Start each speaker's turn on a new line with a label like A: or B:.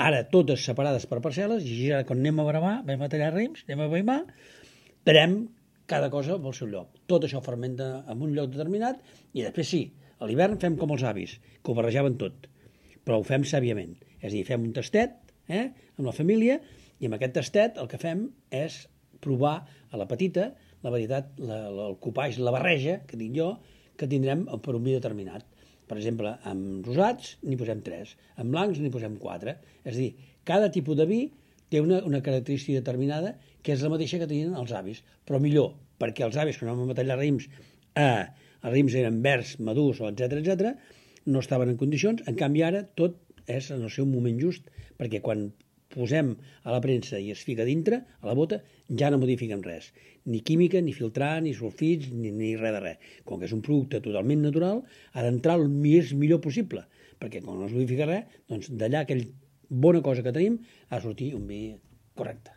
A: ara totes separades per parcel·les, i ara quan anem a bravar, vam a tallar raïms, anem a veïmar, talem cada cosa pel seu lloc. Tot això fermenta en un lloc determinat i després sí, a l'hivern fem com els avis, que ho barrejaven tot, però ho fem sàviament. És a dir, fem un tastet amb la família i amb aquest tastet el que fem és provar a la petita la varietat, el copatge, la barreja que dic jo, que tindrem per un vi determinat. Per exemple, amb rosats n'hi posem 3, amb blancs n'hi posem 4. És a dir, cada tipus de vi té una característica determinada que és la mateixa que tenien els avis, però millor, perquè els avis, quan anàvem a tallar raïms, els raïms eren verds, madurs, etc, no estaven en condicions, en canvi ara tot és en el seu moment just, perquè quan posem a la premsa i es fica dintre, a la bota, ja no modifiquem res. Ni química, ni filtrar, ni sulfits, ni res de res. Com que és un producte totalment natural, ha d'entrar el més millor possible, perquè quan no es modifica res, doncs d'allà aquella bona cosa que tenim ha de sortir un vi correcte.